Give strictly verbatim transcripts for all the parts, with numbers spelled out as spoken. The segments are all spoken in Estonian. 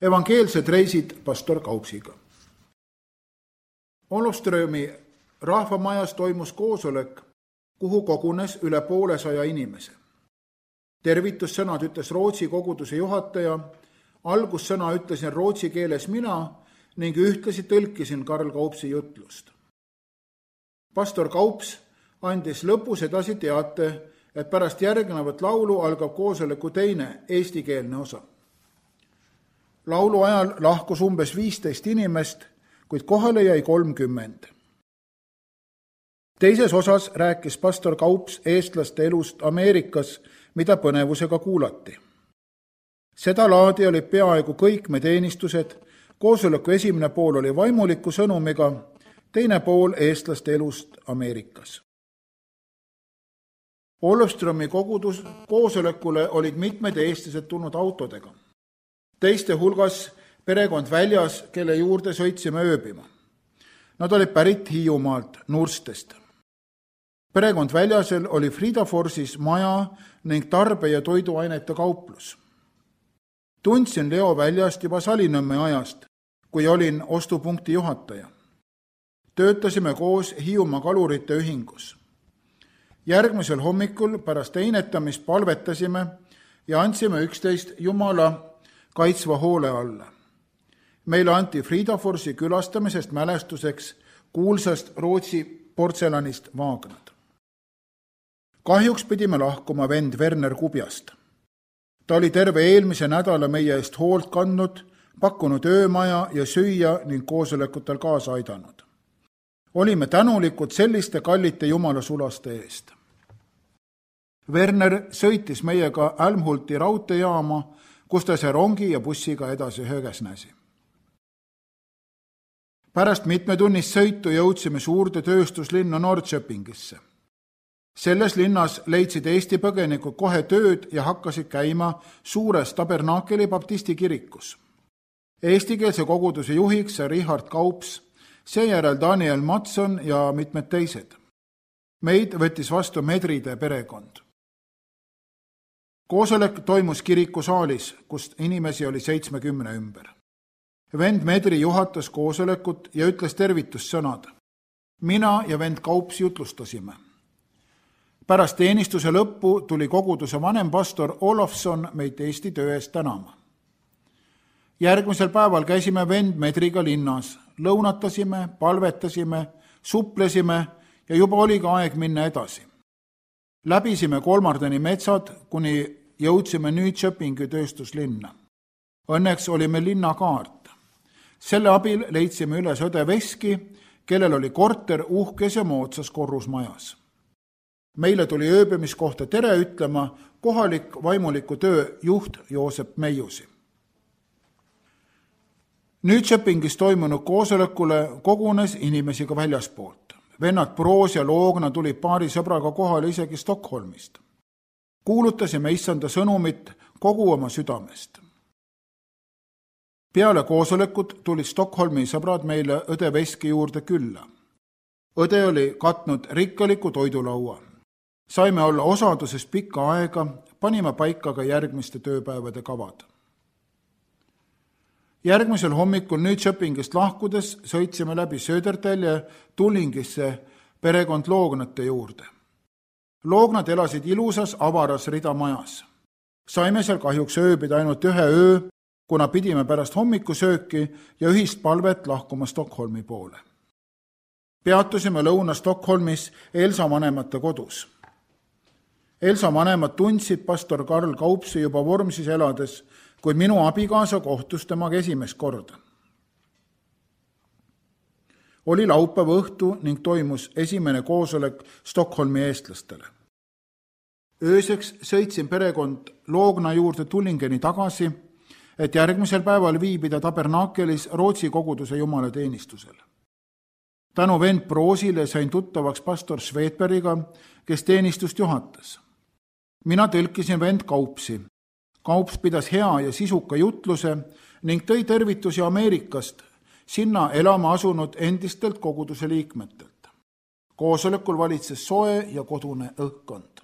Evangeelsed reisid pastor Kaupsiga. Olofströmi rahvamajas toimus koosolek, kuhu kogunes üle poolesaja inimese. Tervitussõnad ütles Rootsi koguduse juhataja, algussõna ütlesin rootsi keeles mina ning ühtlasi tõlkisin Karl Kaupsi jutlust. Pastor Kaups andis lõpus edasi teate, et pärast järgnevat laulu algab koosoleku teine eestikeelne osa. Laulu ajal lahkus umbes viisteist inimest, kuid kohale jäi kolmkümmend. Teises osas rääkis pastor Kaups eestlaste elust Ameerikas, mida põnevusega kuulati. Seda laadi oli peaaegu kõik me teenistused, koosoleku esimene pool oli vaimuliku sõnumiga, teine pool eestlaste elust Ameerikas. Olofströmi kogudus koosolekule olid mitmed eestlased tulnud autodega. Teiste hulgas perekond väljas, kelle juurde sõitsime ööbima. Nad olid pärit Hiiumaalt, Nurstest. Perekond väljasel oli Fridaforsis maja ning tarbe- ja toiduainete kauplus. Tundsin Leo väljast juba Salinõmme ajast, kui olin ostupunkti juhataja. Töötasime koos Hiiumaa kalurite ühingus. Järgmisel hommikul pärast einetamist palvetasime ja andsime üksteist Jumala kaitsva hoole alla. Meile anti Fridaforsi külastamisest mälestuseks kuulsast Rootsi portselanist Vagnad. Kahjuks pidime lahkuma vend Werner Kubjast. Ta oli terve eelmise nädala meie eest hoolt kandnud, pakkunud öömaja ja süüa ning koosolekutel kaasa aidanud. Olime tänulikud selliste kallite Jumala sulaste eest. Werner sõitis meiega Älmhulti raudteejaama, kus ta see rongi ja bussiga edasi Högesnäsi. Pärast mitmetunnist sõitu jõudsime suurde tööstuslinna Norrköpingisse. Selles linnas leidsid Eesti põgenikud kohe tööd ja hakkasid käima suures Tabernakeli baptisti kirikus. Eestikeelse koguduse juhiks sai Richard Kaups, seejärel Daniel Matson ja mitmed teised. Meid võttis vastu Medride perekond. Koosolek toimus kirikusaalis, kust inimesi oli seitsmekümne ümber. Vend Medri juhatas koosolekut ja ütles tervitussõnad. Mina ja vend Kaups jutlustasime. Pärast teenistuse lõppu tuli koguduse vanem pastor Olofson meid Eesti töö eest tänama. Järgmisel päeval käisime vend Medriga linnas, lõunatasime, palvetasime, suplesime ja juba oli ka aeg minna edasi. Läbisime Kolmardeni metsad, kuni jõudsime Nyköpingi tööstuslinna. Õnneks oli meil linnakaart. Selle abil leidsime üles õde Veski, kellel oli korter uhkes ja moodsas korrusmajas. Meile tuli ööbimiskohta tere ütlema kohalik vaimuliku töö juht Joosep Meiusi. Nyköpingis toimunud koosolekule kogunes inimesi ka väljaspoolt. Vennad Proos ja Loogna tuli paari sõbraga kohale isegi Stockholmist. Kuulutasime issanda sõnumit kogu oma südamest. Peale koosolekut tulid Stockholmi sõbrad meile õde Veski juurde külla. Õde oli katnud rikkaliku toidulaua. Saime olla osaduses pikka aega, panime paika ka järgmiste tööpäevade kavad. Järgmisel hommikul Nyköpingist lahkudes sõitsime läbi Södertälje Tullingisse perekond Loognate juurde. Loognad elasid ilusas avaras ridamajas. Saime seal kahjuks ööbida ainult ühe öö, kuna pidime pärast hommikusööki ja ühist palvet lahkuma Stockholmi poole. Peatusime lõuna Stockholmis Elsa vanemate kodus. Elsa vanemad tundsid pastor Karl Kaupsi juba Vormsis elades, kuid minu abikaasa kohtus temaga esimest korda. Oli laupäeva õhtu ning toimus esimene koosolek Stockholmi eestlastele. Ööseks sõitsin perekond Loogna juurde Tullingeni tagasi, et järgmisel päeval viibida Tabernakelis Rootsi koguduse jumala teenistusel. Tänu vend Proosile sain tuttavaks pastor Svedbergiga, kes teenistust juhatas. Mina tõlkisin vend Kaupsi. Kaups pidas hea ja sisuka jutluse ning tõi tervitusi Ameerikast, sinna elama asunud endistelt koguduse liikmetelt. Koosolekul valitses soe ja kodune õhkkond.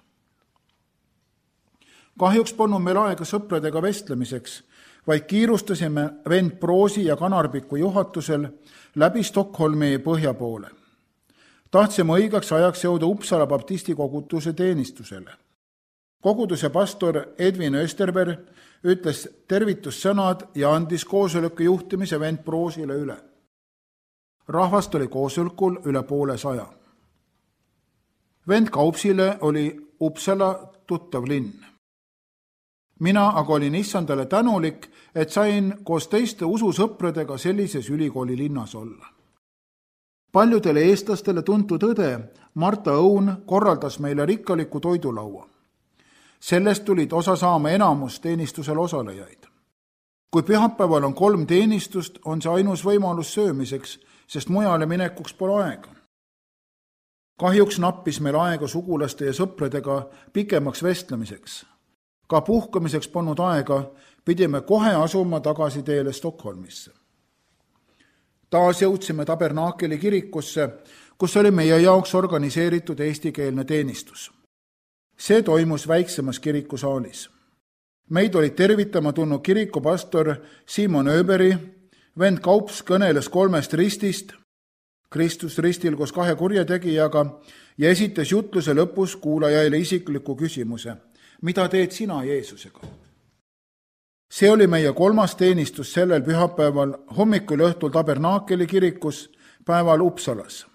Kahjuks polnud meil aega sõpradega vestlemiseks, vaid kiirustasime vend Proosi ja Kanarpiku juhatusel läbi Stockholmi põhja poole. Tahtsime õigeks ajaks jõuda Uppsala baptisti koguduse teenistusele. Koguduse pastor Edvin Österberg ütles tervitussõnad ja andis koosoleku juhtimise vend Proosile üle. Rahvast oli koosolekul üle poole saja. Vend Kaupsile oli Uppsala tuttav linn. Mina aga olin issandale tänulik, et sain koos teiste ususõpradega sellises ülikooli linnas olla. Paljudele eestlastele tuntud õde Marta Õun korraldas meile rikkaliku toidulaua. Sellest tulid osa saama enamus teenistusel osalejaid. Kui pühapäeval on kolm teenistust, on see ainus võimalus söömiseks, sest mujale minekuks pole aega. Kahjuks nappis meil aega sugulaste ja sõpradega pikemaks vestlemiseks. Ka puhkamiseks polnud aega, pidime kohe asuma tagasi teele Stockholmisse. Taas jõudsime Tabernaakeli kirikusse, kus oli meie jaoks organiseeritud eestikeelne teenistus. See toimus väiksemas kirikusaalis. Meid olid tervitama tulnud kirikupastor Simon Öberi, vend Kaups kõneles kolmest ristist, Kristus ristil koos kahe kurjategijaga, ja esitas jutluse lõpus kuulajaile isikliku küsimuse: mida teed sina Jeesusega? See oli meie kolmas teenistus sellel pühapäeval hommikul õhtul Tabernaakeli kirikus, päeval Uppsalas.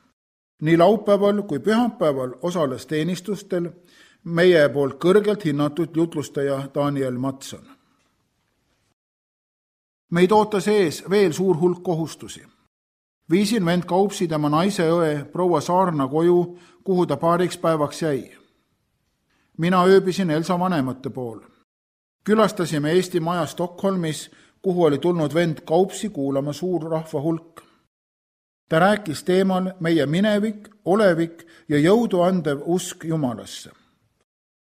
Nii laupäeval kui pühapäeval osales teenistustel meie poolt kõrgelt hinnatud jutlustaja Daniel Matson. Meid ootas ees veel suur hulk kohustusi. Viisin vend Kaupsi tema naise õe proua Saarna koju, kuhu ta paariks päevaks jäi. Mina ööbisin Elsa vanemate pool. Külastasime Eesti maja Stockholmis, kuhu oli tulnud vend Kaupsi kuulama suur rahva hulk. Ta rääkis teemal meie minevik, olevik ja jõudu andev usk Jumalasse.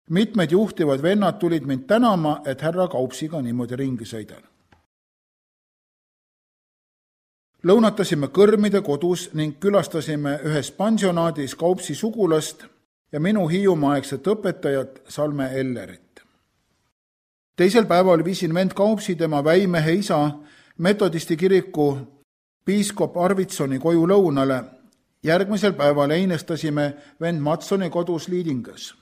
Mitmed juhtivad vennad tulid mind tänama, et härra Kaupsiga niimoodi ringi sõidan. Lõunatasime kõrmide kodus ning külastasime ühes pensionaadis Kaupsi sugulast ja minu hiiumaaegset õpetajat Salme Ellerit. Teisel päeval viisin vend Kaupsi tema väimehe isa metodisti kiriku piiskop Arvitsoni koju lõunale. Järgmisel päeval einestasime vend Matsoni kodus Liidingas.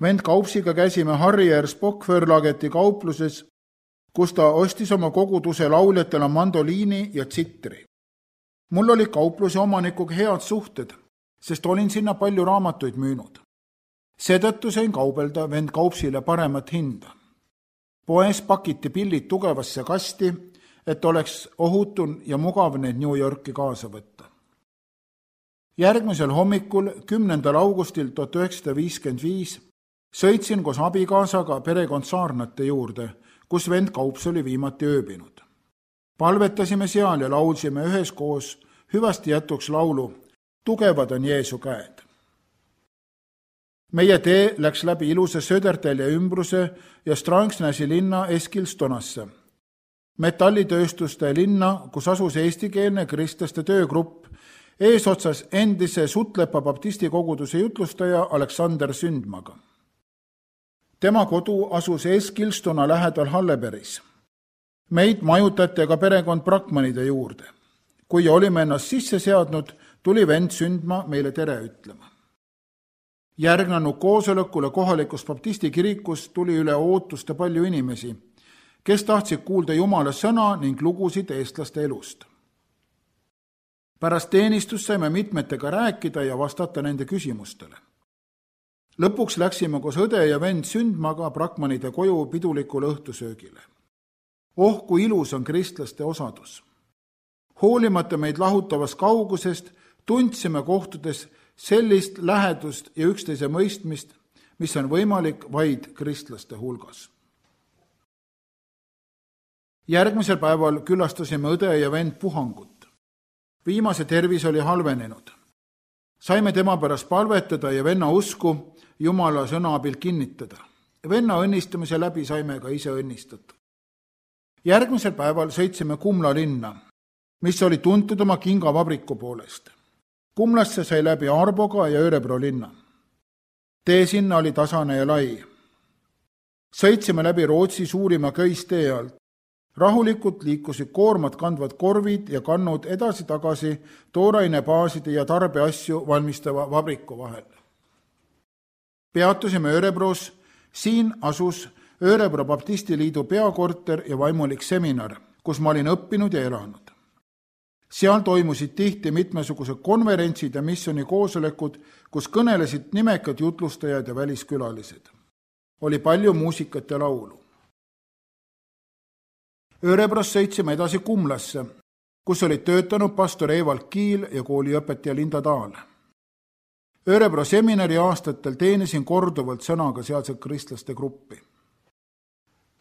Vend Kaupsiga käisime Harrier Spock-Förlageti kaupluses, kus ta ostis oma koguduse lauljatele mandoliini ja tsitri. Mul oli kaupluse omanikuga head suhted, sest olin sinna palju raamatuid müünud. Seetõttu sain kaubelda vend Kaupsile paremat hinda. Poes pakiti pillid tugevasse kasti, et oleks ohutun ja mugav need New Yorki kaasa võtta. Järgmisel hommikul, kümnendal augustil tuhat üheksasada viiskümmend viis, sõitsin koos abikaasaga perekond Saarnate juurde, kus vend Kaups oli viimati ööbinud. Palvetasime seal ja laulsime üheskoos hüvasti jätuks laulu Tugevad on Jeesu käed. Meie tee läks läbi ilusa Södertälje ümbruse ja Strangsnäsi linna Eskilstonasse, metallitööstuste linna, kus asus eestikeelne kristlaste töögrupp, eesotsas endise Sutlepa baptisti koguduse jutlustaja Aleksander Sündmaga. Tema kodu asus Eskilstona lähedal Hallebergis. Meid majutati ka perekond Brakmanide juurde. Kui olime ennast sisse seadnud, tuli vend Sündma meile tere ütlema. Järgnenud koosolekule kohalikus baptisti kirikus tuli üle ootuste palju inimesi, kes tahtsid kuulda Jumala sõna ning lugusid eestlaste elust. Pärast teenistust saime mitmetega rääkida ja vastata nende küsimustele. Lõpuks läksime koos õde ja vend Sündmaga Brakmanide koju pidulikule õhtusöögile. Oh, kui ilus on kristlaste osadus! Hoolimata meid lahutavast kaugusest tundsime kohtudes sellist lähedust ja üksteise mõistmist, mis on võimalik vaid kristlaste hulgas. Järgmisel päeval külastasime õde ja vend Puhangut. Viimase tervis oli halvenenud. Saime tema pärast palvetada ja venna usku Jumala sõna abil kinnitada. Venna õnnistamise läbi saime ka ise õnnistatud. Järgmisel päeval sõitsime Kumla linna, mis oli tuntud oma kingavabriku poolest. Kumlasse sai läbi Arboga ja Örebro linna. Tee sinna oli tasane ja lai. Sõitsime läbi Rootsi suurima köistee alt. rahulikult liikusid koormat kandvad korvid ja kannud edasi-tagasi toorainebaaside ja tarbeasju valmistava vabriku vahel. Peatusime Örebros, siin asus Örebro Baptistiliidu peakorter ja vaimulik seminar, kus ma olin õppinud ja elanud. Seal toimusid tihti mitmesugused konverentsid ja missiooni koosolekud, kus kõnelesid nimekad jutlustajad ja väliskülalised. Oli palju muusikat ja laulu. Örebros sõitsime edasi Kumlasse, kus olid töötanud pastor Evald Kiil ja kooliõpetaja Linda Taal. Örebro seminari aastatel teenisin korduvalt sõnaga sealset kristlaste gruppi.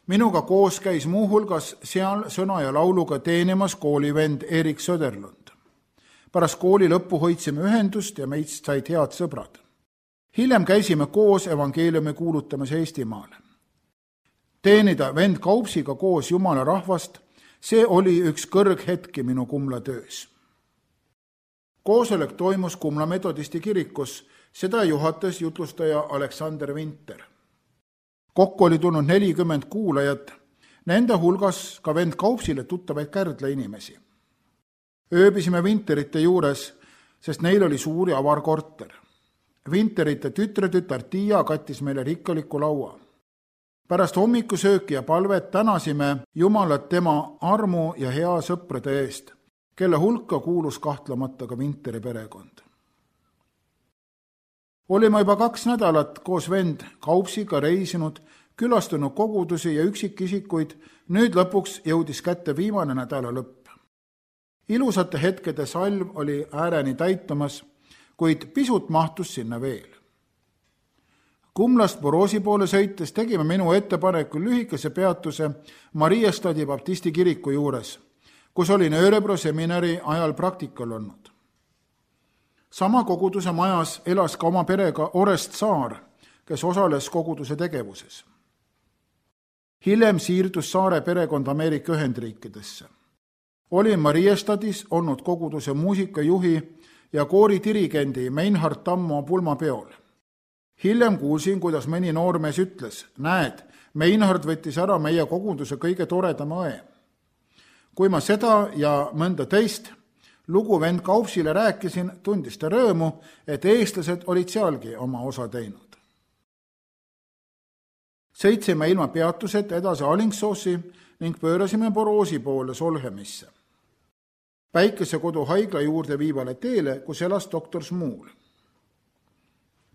Minuga koos käis muuhulgas seal sõna ja lauluga teenimas koolivend Erik Söderlund. Pärast kooli lõppu hoidsime ühendust ja meist said head sõbrad. Hiljem käisime koos evangeeliumi kuulutamas Eestimaale. Teenida vend Kaupsiga koos Jumala rahvast, see oli üks kõrghetki minu Kumla töös. Koosolek toimus Kumla metodisti kirikus, seda juhatas jutlustaja Aleksander Vinter. Kokku oli tulnud nelikümmend kuulajat, nende hulgas ka vend Kaupsile tuttavaid Kärdla inimesi. Ööbisime Vinterite juures, sest neil oli suur ja avar korter. Vinterite tütretütar Tiia kattis meile rikkaliku laua. Pärast hommikusööki ja palvet tänasime Jumalat tema armu ja hea sõprade eest, kelle hulka kuulus kahtlemata ka Vinteri perekond. Olime juba kaks nädalat koos vend Kaupsiga reisinud, külastanud kogudusi ja üksikisikuid, nüüd lõpuks jõudis kätte viimane nädala lõpp. Ilusate hetkede salv oli ääreni täitumas, kuid pisut mahtus sinna veel. Kumlast Borosi poole sõites tegime minu ettepaneku lühikese peatuse Mariestadi Baptisti kiriku juures, kus olin Örebro seminari ajal praktikal olnud. Sama koguduse majas elas ka oma perega Orest Saar, kes osales koguduse tegevuses. Hiljem siirdus Saare perekond Ameerika Ühendriikidesse. Olin Mariestadis olnud koguduse muusikajuhi ja kooridirigendi Meinhard Tammo pulmapeol. Hiljem kuulsin, kuidas mõni noormees ütles, näed, Meinhard võttis ära meie koguduse kõige toredama õe. Kui ma seda ja mõnda teist lugu vend Kaupsile rääkisin, tundis ta rõõmu, et eestlased olid sealgi oma osa teinud. Sõitsime ilma peatused edasi Alingsossi ning pöörasime Borosi poole Solhemisse. Päikesekodu haigla juurde viivale teele, kus elas doktor Smuul.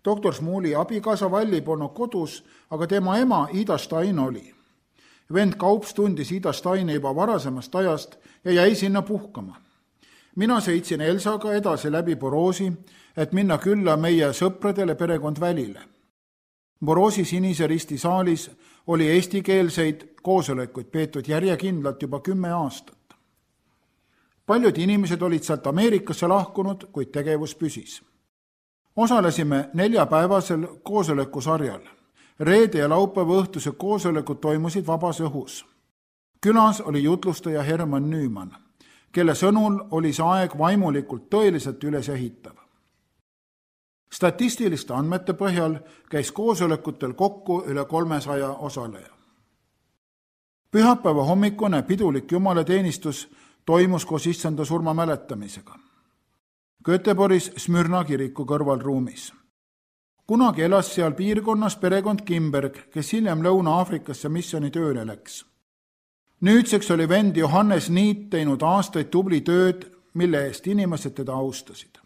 Doktor Smuuli abikaasa Valli polnud kodus, aga tema ema Ida Stein oli. Vend Kaups tundis Ida Steini juba varasemast ajast ja jäi sinna puhkama. Mina sõitsin Elsaga edasi läbi Borosi, et minna külla meie sõpradele perekond Välile. Borosi Sinise Risti saalis oli eestikeelseid koosolekuid peetud järjekindlalt juba kümme aastat. Paljud inimesed olid sealt Ameerikasse lahkunud, kuid tegevus püsis. Osalesime neljapäevasel koosolekusarjal. Reede ja laupäeva õhtused koosolekud toimusid vabas õhus. Külas oli jutlustaja Herman Nüüman, kelle sõnul oli see aeg vaimulikult tõeliselt üles ehitav. Statistiliste andmete põhjal käis koosolekutel kokku üle kolmesaja osaleja. Pühapäeva hommikune pidulik jumalateenistus toimus koos issanda surma mäletamisega. Göteborgis Smyrna kiriku kõrvalruumis. Kunagi elas seal piirkonnas perekond Kimberg, kes hiljem Lõuna-Aafrikasse missiooni tööle läks. Nüüdseks oli vend Johannes Niit teinud aastaid tubli tööd, mille eest inimesed teda austasid.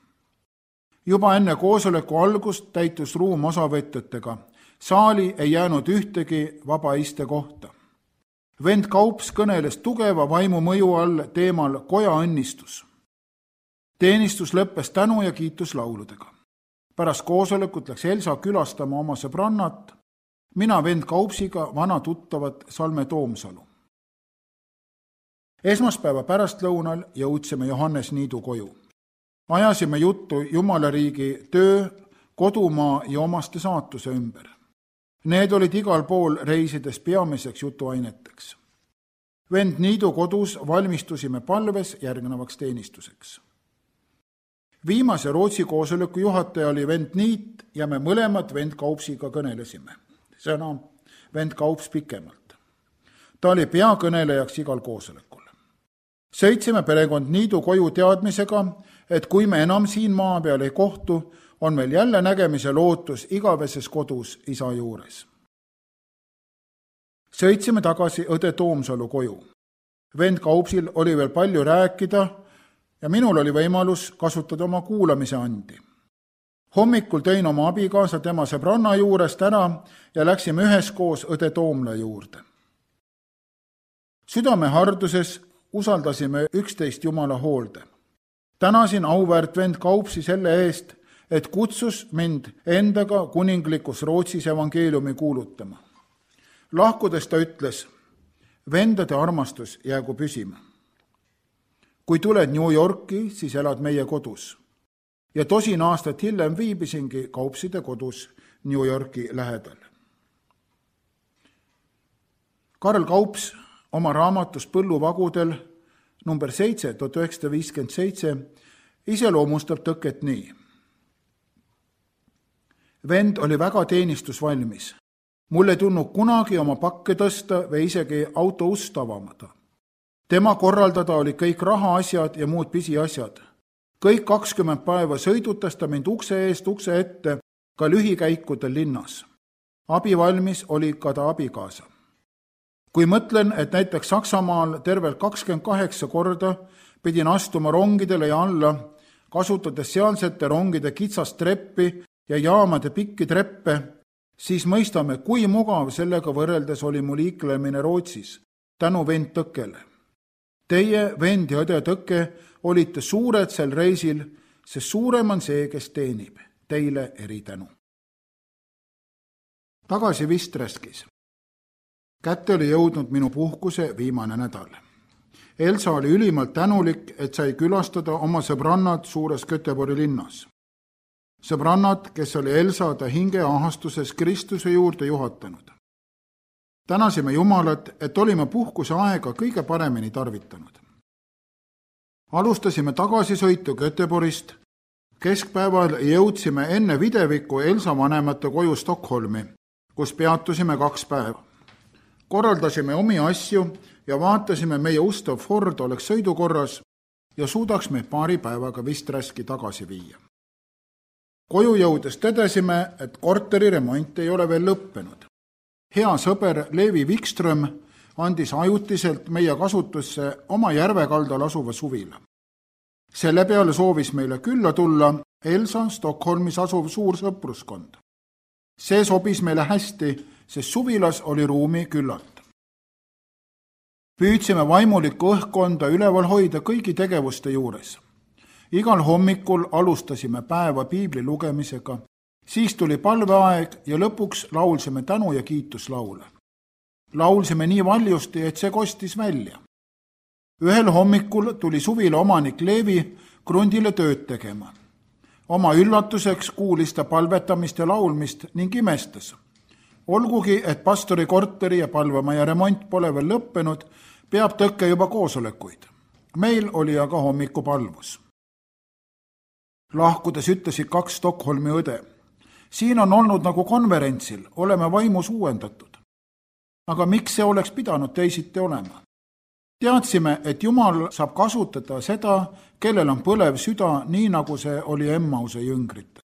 Juba enne koosoleku algust täitus ruum osavõtjatega. Saali ei jäänud ühtegi vaba iste kohta. Vend Kaups kõneles tugeva vaimu mõju all teemal koja õnnistus. Teenistus lõppes tänu ja kiituslauludega. Pärast koosolekut läks Elsa külastama oma sõbrannat, mina vend Kaupsiga vana tuttavat Salme Toomsalu. Esmaspäeva pärastlõunal jõudsime Johannes Niidu koju. Ajasime juttu Jumalariigi töö, kodumaa ja omaste saatuse ümber. Need olid igal pool reisides peamiseks jutuaineteks. Vend Niidu kodus valmistusime palves järgnevaks teenistuseks. Viimase Rootsi koosoleku juhataja oli vend Niit ja me mõlemad vend Kaupsiga kõnelesime. Sõna vend Kaups pikemalt. ta oli peakõnelejaks igal koosolekul. Sõitsime perekond Niidu koju teadmisega, et kui me enam siin maa peal ei kohtu, on meil jälle nägemise lootus igaveses kodus isa juures. Sõitsime tagasi õde Toomsalu koju. Vend Kaupsil oli veel palju rääkida ja minul oli võimalus kasutada oma kuulamise andi. Hommikul tõin oma abikaasa tema sõbranna juurest ära ja läksime üheskoos õde Toomla juurde. Südame harduses usaldasime üksteist Jumala hoolde. Tänasin auväärt vend Kaupsi selle eest, et kutsus mind endaga kuninglikus Rootsis evangeeliumi kuulutama. Lahkudes ta ütles, vendade armastus jäägu püsima. Kui tuled New Yorki, siis elad meie kodus. Ja tosin aastat hiljem viibisingi Kaupside kodus New Yorki lähedal. Karl Kaups oma raamatus Põlluvagudel number seitse, tuhat üheksasada viiskümmend seitse iseloomustab tõket nii. Vend oli väga teenistusvalmis. Mul ei tulnud kunagi oma pakke tõsta või isegi auto ust avamada. Tema korraldada oli kõik rahaasjad ja muud pisiasjad. Kõik kakskümmend päeva sõidutas ta mind ukse eest ukse ette ka lühikäikudel linnas. Abivalmis oli ka ta abikaasa. Kui mõtlen, et näiteks Saksamaal tervelt kakskümmend kaheksa korda pidin astuma rongidele ja alla, kasutades sealsete rongide kitsast treppi ja jaamade pikki treppe, siis mõistame, kui mugav sellega võrreldes oli mu liiklemine Rootsis, tänu vend Tõkkele. Teie, vend ja õde Tõkke, olite suured sel reisil, sest suurem on see, kes teenib. Teile eritänu. Tagasi Vistreskis. Kätte oli jõudnud minu puhkuse viimane nädal. Elsa oli ülimalt tänulik, et sai külastada oma sõbrannad suures Göteborgi linnas. Sõbrannad, kes oli Elsa ta hingeahastuses Kristuse juurde juhatanud. Tänasime Jumalat, et olime puhkuse aega kõige paremini tarvitanud. Alustasime tagasisõitu Göteborgist. Keskpäeval jõudsime enne videviku Elsa vanemate koju Stockholmi, kus peatusime kaks päeva. Korraldasime omi asju ja vaatasime meie ustav Ford oleks sõidukorras ja suudaks me paari päevaga Visträski tagasi viia. Koju jõudes tõdesime, et korteri remont ei ole veel lõppenud. Hea sõber Leevi Wikström andis ajutiselt meie kasutusse oma järvekaldal asuva suvila. Selle peale soovis meile külla tulla Elsa Stockholmis asuv suur sõpruskond. See sobis meile hästi, sest suvilas oli ruumi küllalt. Püüdsime vaimulikku õhkkonda üleval hoida kõigi tegevuste juures. Igal hommikul alustasime päeva piibli lugemisega, siis tuli palveaeg ja lõpuks laulsime tänu- ja kiituslaule. Laulsime nii valjusti, et see kostis välja. Ühel hommikul tuli suvila omanik Leevi krundile tööd tegema. Oma üllatuseks kuulis ta palvetamist ja laulmist ning imestas. Olgugi, et pastori korteri ja palvemaja remont pole veel lõppenud, peab Tõkke juba koosolekuid. Meil oli aga hommikupalvus. Lahkudes ütlesid kaks Stockholmi õde. Siin on olnud nagu konverentsil, oleme vaimus uuendatud. Aga miks see oleks pidanud teisiti olema? Teadsime, et Jumal saab kasutada seda, kellel on põlev süda, nii nagu see oli Emmause jüngrite.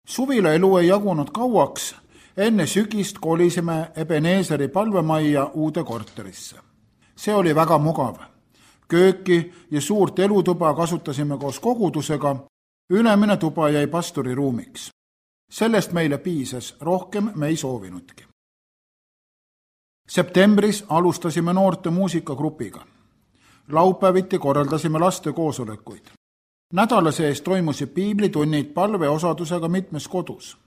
Suvila elu ei jagunud kauaks, enne sügist kolisime Ebeneeseri palvemajja uude korterisse. See oli väga mugav. Kööki ja suurt elutuba kasutasime koos kogudusega, ülemine tuba jäi pastori ruumiks. Sellest meile piisas, rohkem me ei soovinudki. Septembris alustasime noorte muusikagrupiga. Laupäeviti korraldasime laste koosolekuid. Nädala sees toimusid piiblitunnid palveosadusega mitmes kodus.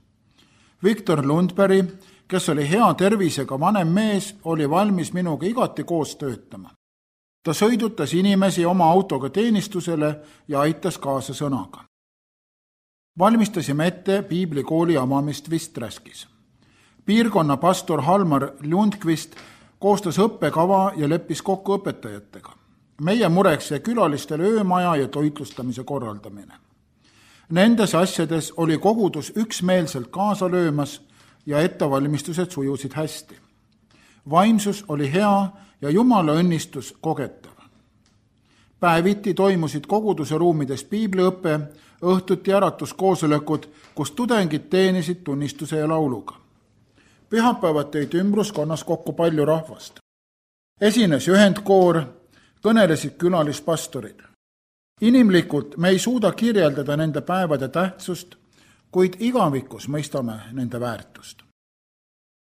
Viktor Lundberg, kes oli hea tervisega vanem mees, oli valmis minuga igati koos töötama. Ta sõidutas inimesi oma autoga teenistusele ja aitas kaasa sõnaga. Valmistasime ette piiblikooli avamist Visträskis. Piirkonna pastor Halmar Lundqvist koostas õppekava ja leppis kokku õpetajatega. Meie mureks jäi külalistele öömaja ja toitlustamise korraldamine. Nendes asjades oli kogudus üksmeelselt kaasa löömas ja ettevalmistused sujusid hästi. vaimsus oli hea ja Jumala õnnistus kogetav. Päeviti toimusid koguduse ruumides piibliõppe, õhtuti äratuskoosolekud, kus tudengid teenisid tunnistuse ja lauluga. Pühapäevad tõid ümbruskonnas kokku palju rahvast. Esines ühendkoor, kõnelesid külalispastorid. Inimlikult me ei suuda kirjeldada nende päevade tähtsust, kuid igavikus mõistame nende väärtust.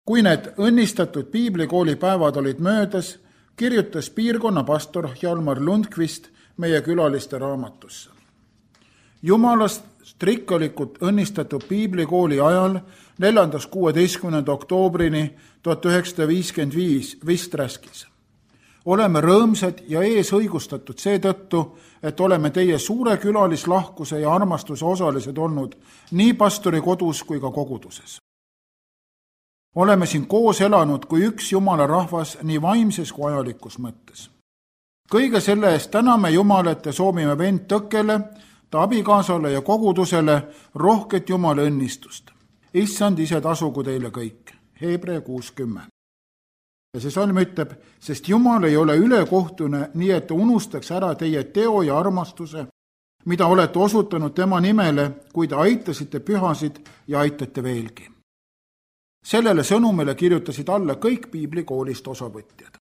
Kui need õnnistatud piiblikooli päevad olid möödas, kirjutas piirkonna pastor Hjalmar Lundqvist meie külaliste raamatusse. Jumalast rikkalikult õnnistatud piiblikooli ajal neljandast kuueteistkümnenda oktoobrini tuhat üheksasada viiskümmend viis vist räskis. Oleme rõõmsad ja ees õigustatud seetõttu, et oleme teie suure külalislahkuse ja armastuse osalised olnud nii pastori kodus kui ka koguduses. Oleme siin koos elanud kui üks Jumala rahvas nii vaimses kui ajalikus mõttes. Kõige selle eest täname Jumalat ja soovime vend Tõkkele, ta abikaasale ja kogudusele rohket Jumala õnnistust. Issand ise tasugu teile kõik. Hebrea kuus kümme. Ja see salm ütleb, sest Jumal ei ole ülekohtune, nii et ta unustaks ära teie teo ja armastuse, mida olete osutanud tema nimele, kui te aitasite pühasid ja aitate veelgi. Sellele sõnumile kirjutasid alla kõik piiblikoolist osavõtjad.